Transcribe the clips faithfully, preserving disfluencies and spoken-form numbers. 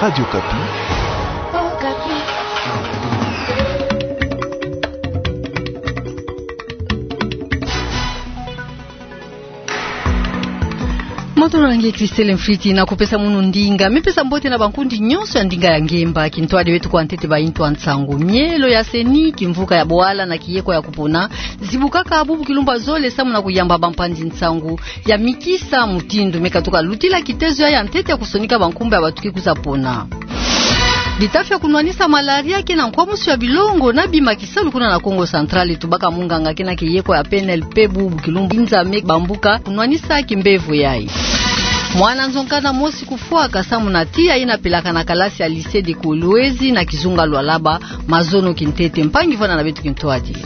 Radio Okapi. Matondo na nge Christelle Mfwiti, na kupesa munu ndinga. Me pesa mbote na bankundi nyonso ya ndinga ya ngemba. Kintwadi beto kwa ntete ba intu ya nsangu. Mielo ya CENI, kimvuka ya bwala na kiyeko ya kupona, zibukaka bubu kilumbu zole samu na kuyamba bampanzi nsangu ya mikisa mutindu me katuka lutila kitezo ya, ya ntete ya kusonika bankumbu ya bato ke kwiza pona. Bitafi ya kunwanisa malaria ke na nkwamusu ya bilongo na bima kisalu kuna na Kongo Central, tubaka munganga ke na kiyeko ya PNLP, bubu kilumbu inza me bambuka kunwanisa kimbevo yayi. Mwana nzonkana mosi kufwaka samu na tiya yina pelaka na kalasi ya Lycée de Kolwezi na kizunga Lualaba, mazono kintete. Mpangi vwanda na beto kintwadi.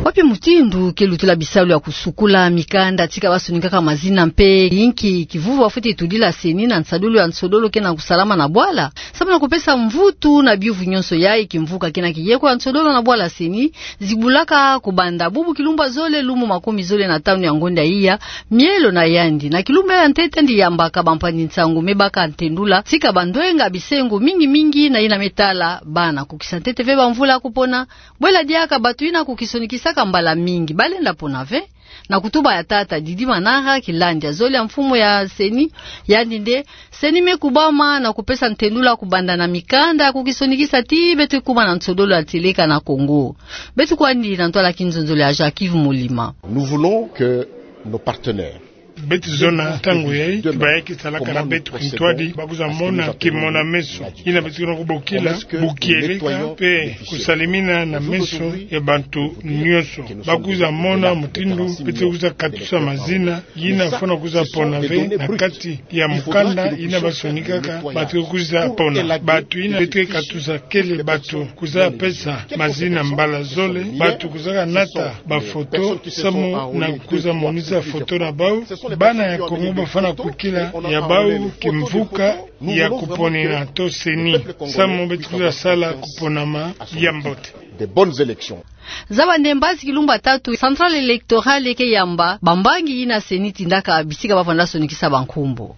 Wapi mutindu ke lutila bisalu ya kusukula mikanda tika basonikaka mazina mpe inki kivuvu bafweti tudila CENI na nsadulu ya nsodolo ke na kusalama na bwala? Samu na kupesa mvutu na biyuvu nyonso yayi, kimvuka ke na kiyeko ya nsodolo na bwala CENI zibulaka kubanda bubu kilumbu zole lumbu makumi zole na tanu ya ngonda iya mielo na yandi. Na kilumbu ya ntete yandi yambaka bampanzi nsangu me baka ntendula tika bandwenga bisengo mingi mingi na yina me tala bana. Kukisa ntete ve bamvula ya kupona, bwela diaka bato yina kukisonikisaka mbala mingi balenda pona ve. Na kutuba ya tata Didi Manara, kilandi ya zole ya mfumu ya CENI, yandi nde CENI me kubama na kupesa ntendula kubanda na mikanda ya kukisonikisa ti beto kuma na nsodolo ya tieleka na Kongo. Beto kwandi na ntwala kinzonzolo ya Jacques Yves Molima. Nous voulons que nos partenaires Beto zona ntangu yayi, ti bayaki salaka na beto kintwadi, bakwiza mona kimona-meso yina beto ke na kubokila bukieleka mpe kusalimina na meso ya bantu nyonso. Bakwiza mona mutindu beto kwiza katusa mazina yina fwana kwiza pona ve na kati ya mukanda yina basonikaka bato kwiza pona. Bato yina beto katusa kele bato kwiza pesa mazina mbala zole, bato kwizaka nata bafoto samu na kwiza monisa foto na bau. Bana ya Kongo bafwana kwikila ya bau kimvuka ya kuponina to CENI, samu beto kwiza sala kuponama ya mbote. De bonnes élections. Zaba nde mbazi kilumbu tatu, Centrale électorale ke yamba bambangi yina CENI tindaka bisika bavwanda sonikisa bankumbu.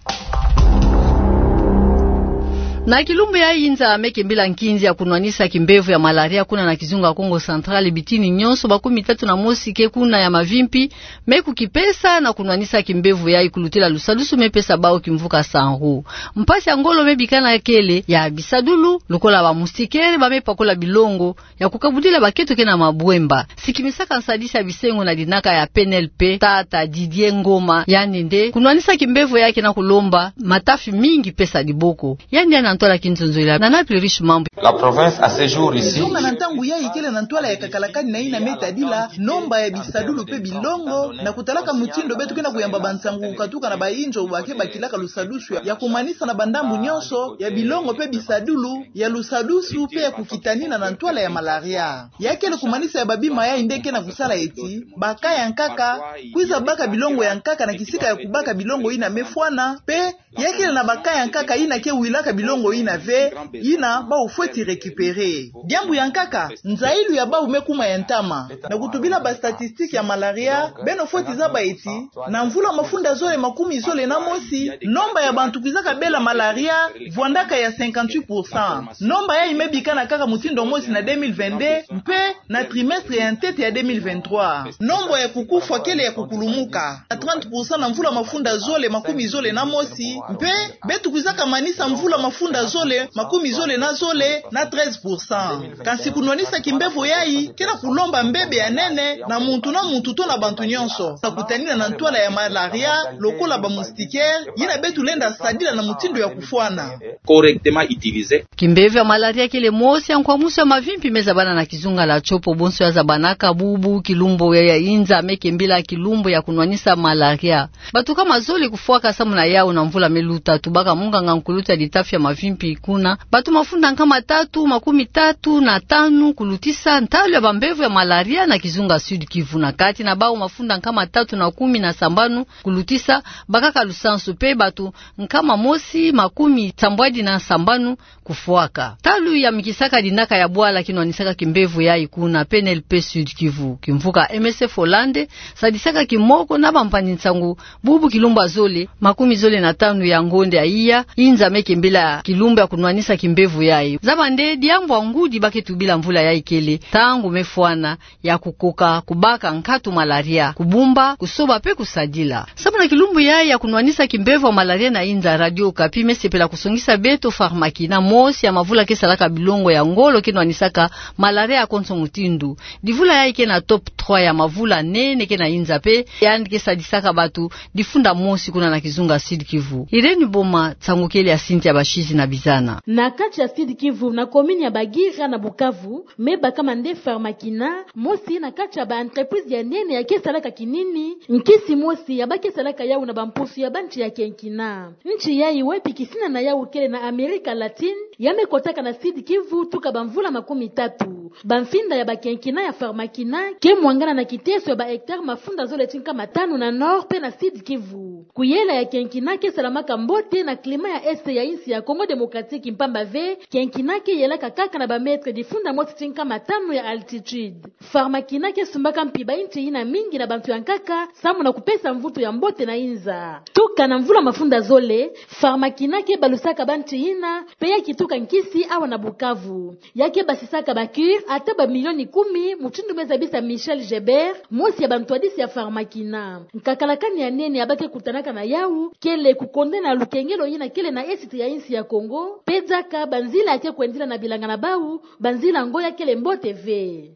Na kilumbu yayi, inza me kembila nkinzi ya kunwanisa kimbevo ya malaria kuna na kizunga Kongo Central, bitini nyonso makumi tatu na mosi ke kuna ya mavimpi me kukipesa na kunwanisa kimbevo yayi kulutila lusadusu me pesa bau kimvuka Sanru. Mpasi ya ngolo me bikana kele ya bisadulu, lokola ba moustiquaire ba me pakola bilongo ya kukabudila baketo ke na mabwemba. Sikimisaka nsadisi ya bisengo na dinaka ya PNLP, tata Didier Ngoma, yandi nde kunwanisa kimbevo yayi ke na kulomba matafi mingi pesa diboko. Yandi ya na ntwala kinzonzolo na Naples Riche Mambu. La province à ce jour ici. Nzonga na ntangu yayi kele na ntwala ya kakalakani na yina me tadila nomba ya bisadulu mpe bilongo, na kutalaka mutindu beto ke na kuyamba bansangu kukatuka na bayinzo ba ke bakilaka lusadusu ya kumanisa na bandambu nyonso ya bilongo mpe bisadulu ya lusadusu mpe ya kukitanina na ntwala ya malaria. Ya kele kumanisa ya babima yayi nde ke na kusala eti ba cas ya nkaka kwiza baka bilongo ya nkaka na kisika ya kubaka bilongo yina me fwana, mpe ya kele na ba cas ya nkaka yina ke wilaka bilongo yina ve, yina bau fweti récupérer. Diambu ya nkaka, nzayilu ya bau me kuma ya ntama. Na kutubila ba statistiques ya malaria, beno fweti zaba eti na mvula mafunda zole makumi zole na mosi, nomba ya bantu kwizaka bela malaria vwandaka ya cinquante-huit pour cent. Nomba yayi me bikana kaka mutindu mosi na deux mille vingt-deux, mpe na trimestre ya ntete ya deux mille vingt-trois, nomba ya kukufwa kele ya kukulumuka na trente pour cent na mvula mafunda zole makumi zole na mosi, mpe beto kwizaka manisa mvula mafunda zole makumi zole na zole na treize pour cent. Kansi kunwanisa kimbevo yayi ke na kulomba mbebe ya nene na muntu na muntu to na bantu nyonso, na kutanina na ntwala ya malaria, lokola ba moustiquaire yina beto lenda sadila na mutindu ya kufwana. Correctement utilisé. Kimbevo ya malaria kele mosi ya nkwamusu ya mavimpi me zabana na kizunga la Tshopo, bonso ya zabanaka bubu kilumbu ya, ya inza me kembila kilumbu ya kunwanisa malaria. Bato kama zole kufwaka samu na yau na mvula me luta, tubaka munganga nkulutu ya litafi ya mavimpi mavimpi kuna. Bato mafunda nkama tatu makumi tatu na tanu kulutisa ntalu ya bambevo ya malaria na kizunga Sud-Kivu, na kati na bau mafunda nkama tatu na kumi na sambanu kulutisa bakaka lusansu, pe bato nkama mosi makumi sambwadi na sambanu kufwaka. Ntalu ya mikisaka dinaka ya bwala kinwanisaka kimbevo yayi kuna P N L P Sud-Kivu, kimvuka M S F Hollande sadisaka kimoko na bampangi-nsangu bubu kilumbu ya zole makumi zole na tanu ya ngonde ya iya, inza me kembela kilumbu ya kunwanisa kimbevo yayi. Zaba nde diambu ya ngudi ba ke tubila mvula yayi kele ntangu me fwana ya kukoka kubaka nkatu malaria, kubumba, kusoba pe kusadila. Samu na kilumbu yayi ya kunwanisa kimbevo ya malaria na inza, Radio Okapi me sepela kusongisa beto Pharmakina, mosi ya mavula ke salaka bilongo ya ngolo ke nwanisaka malaria ya konso mutindu. Divula yayi ke na top trois ya mavula nene ke na inza pe yandi ke sadisaka bato difunda mosi kuna na kizunga Sud-Kivu. Irène Boma, nsangu kele ya Cynthia Bashizi na Bizana. Na kati ya Sud-Kivu, na commune ya Bagira na Bukavu, me bakama nde Pharmakina, mosi na kati ya ba entreprise ya nene ya ke salaka kinini, nkisi mosi ya ba ke salaka yawu na bampusu ya banchi ya kenkina. Nchi yayi wapi kisina na yawu kele na Amerika Latine, ya me kotaka na Sud-Kivu tuka bamvula makumi tatu. Bamfinda ya bakenkina ya Pharmakina ke mwangana na kiteso ya ba hectare mafunda zole ti nkama tanu na Nord pe na Sud-Kivu. Kuyela ya kenkina ke salamaka mbote na climat ya Est ya insi ya Congo Démocratique, mpamba ve kenkina ke yelaka kaka na ba mètre difunda mosi ti nkama tanu ya altitude. Pharmakina ke sumbaka mpi ba inchi yina mingi na bantu ya nkaka, samu na kupesa mvutu ya mbote na inza. Tuka na mvula mafunda zole, Pharmakina ke balusaka banchi yina, pe ya kituka nkisi awa na Bukavu. Ya ke basisaka ba cure ata ba milioni kumi, mutindu me zabisa Michel Gebert, mosi ya bantwadisi ya Pharmakina. Nkakalakani ya nene ya ba ke kutanaka na yawu kele kukonda na lukengelo yina kele na Est ya insi ya Congo, pe diaka banzila ya ke kwendila na bilanga na bawu, banzila ngo ya kele mbote ve.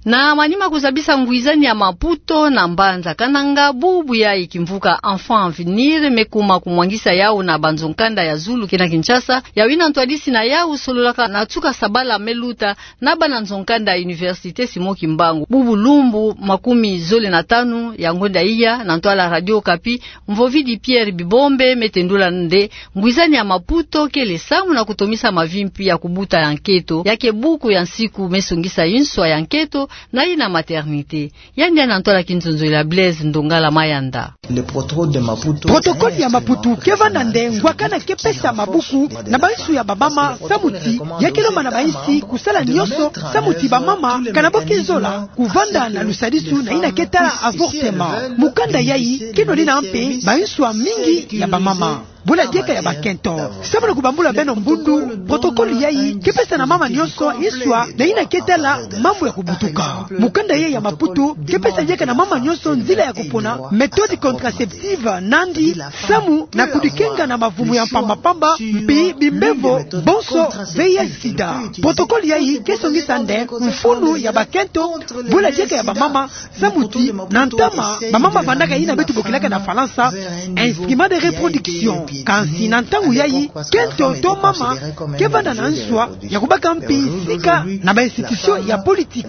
Na manima kuzabisa ngwizani ya Maputo na mbanza Kananga, bubu yayi kimvuka Enfant Avenir me kuma kumwangisa yawu na banzo-nkanda ya zulu ke na Kinshasa, yawu yina ntwadisi na yawu sololaka na tuka sabala me luta na bana nzo-nkanda ya Université Simon Kimbangu. Bubu lumbu makumi zole na tanu ya ngonda iya, na ntwala Radio Okapi, Mvovidi Pierre Bibombe me tendula nde ngwizani ya Maputo kele samu na kutomisa mavimpi ya kubuta ya nketo, ya ke buku ya nsiku me songisa inswa ya nketo na yina maternité. Yandi ya na ntwala kinzonzolo ya Blaise Ndongala Mayanda. Protocole ya Maputo ke vanda nde ngwakana ke pesa mabuku na bansu ya bamama, samu ti ya ke lomba na bainsi kusala nionso samu ti bamama kana bo ke zola kuvanda na lusadisu na yina ke tala avortement. Mukanda yayi ke nwanina mpe bainsu ya mingi ya bamama. Bula diaka ya bakento. Samu na kubambula beno mbundu, protocole yayi ke pesa na mama nionso inswa na yina ke tala mambu ya kubutuka. Mukanda yayi ya Maputo ke pesa diaka na mama nionso nzila ya kupona, méthode contraceptive nandi, samu na kudikenga na mavumu ya mpamba-mpamba, mpi bimbevo bonso V I H sida. Protocole yayi ke songisa nde mfunu ya bakento, bula diaka ya bamama, samu ti na ntama bamama vandaka yina beto bokilaka na Falansa instrument de reproduction. Kansi na ntangu yayi, kento to mama ke vanda na nswa ya kubaka mpi sika na ba institution ya politique.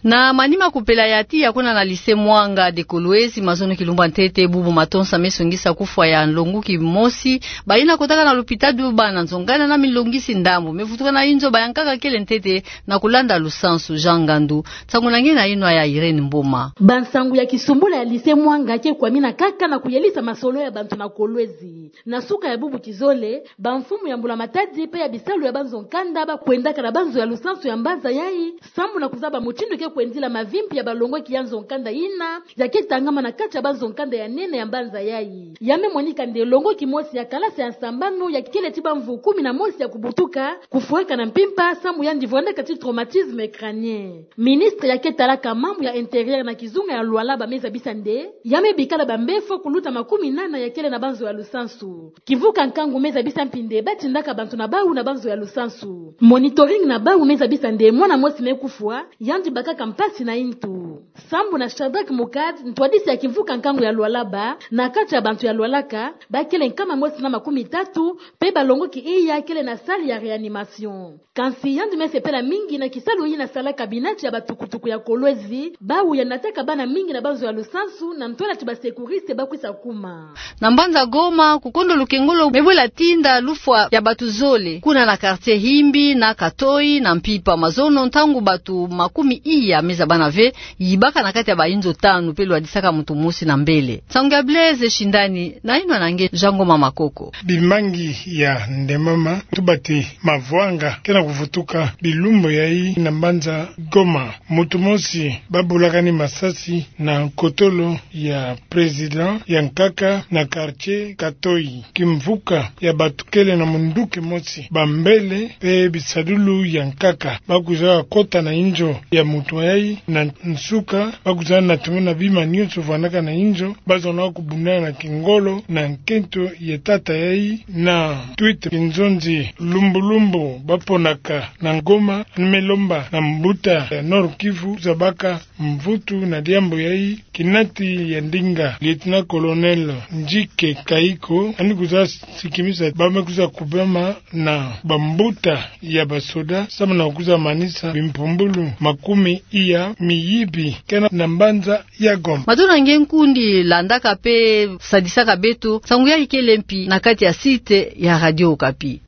Na manima kupela ya tiya kuna na lycée Mwanga de Kolwezi, mazono kilumbu ya ntete, bubu matonsa me songisa kufwa ya nlonguki mosi, bayina kotaka na lupitalu, bana nzo-nkanda na milongisi ndambu me vutuka na inzo, bayankaka kele ntete na kulanda lusansu. Jean Ngandu. Nsangu na nge na yinwa ya Irène Mboma. Bansangu ya kisumbula ya lycée Mwanga ke kwamina kaka na kuyelisa masolo ya bantu na Kolwezi. Na suka ya bubu kizole, bamfumu ya mbula-matadi pe ya bisalu ya banzo-nkanda ba kwendaka na banzo ya lusansu ya mbanza yayi, samu na kuzaba mutindu ke kwendila mavimpi ya balongoki ya nzo-nkanda yina ya ke tangama na kati ya banzo-nkanda ya nene ya mbanza yayi. Ya me monika nde longoki mosi ya kalasi ya sambanu ya kele ti bamvu kumi na mosi ya kubutuka, kufwaka na mpimpa samu yandi vwandaka ti traumatisme crânien. Ministre ya ke talaka mambu ya intérieur na kizunga ya Lualaba me zabisa nde ya me bikala bambefo kuluta makumi nana ya kele na banzo ya lusansu. Kivuka nkangu me zabisa mpi nde batindaka bantu na bawu na banzo ya lusansu. Monitoring na bawu me zabisa nde mwana mosi me kufwa, yandi bakaka Kampasi na intu. Sambu na Shadrach Mukad, ntwadisi ya kimvuka nkangu ya Lualaba, na kati ya bantu ya Lualaka, bakele nkama mosi na makumi tatu, pe balongoki iya kele na salle ya réanimation. Kansi yandi me sepela mingi na kisalu yina salaka binati ya batukutuku ya Kolwezi, bawu ya nataka bana mingi na banzo ya lusansu, na ntwala ti ba secouriste bakwisa kuma. Na mbanza Goma, kukondo lukengolo me bwela tinda lufwa ya batu zole. Kuna na quartier Himbi, na Katoi, na mpimpa mazono, ntangu batu makumi iya me zabana ve, yibaka na kati ya bainzo tanu pe lwadisaka muntu mosi na mbele. Nsangu ya Blaise Shindani, na yinwa na nge Jean Ngoma Makoko. Bimangi ya ndemama, tubati mavwanga, kena kuvutuka bilumbu yayi na mbanza Goma. Muntu mosi babulakani masasi na nkotolo ya président ya nkaka na quartier Katoi. Kimvuka ya batu kele na munduki mosi, bambele pe bisadulu ya nkaka. Bakwiza kota na inzo ya muntu yayi na nsuka, bakwiza na tuma na bima nyonso vwanaka na inzo, bazona kubundana na kingolo na nkento ya tata yayi na Twitter. Kinzonzi lumbulumbu baponaka na Goma, ni me lomba na mbuta ya Nord-Kivu zabaka mvutu na diambu yayi, kinati ya ndinga, lieutenant-colonel Njike Kayiko, yandi kwiza sikimisa ba me kwiza kubama na bambuta ya basoda, samu na kwiza manisa bimpumbulu makumi iya miyibi kena na mbanza ya Goma. Mato na nge nkundi landaka pe sadisaka beto, nsangu yayi kele mpi na kati ya site ya Radio Okapi.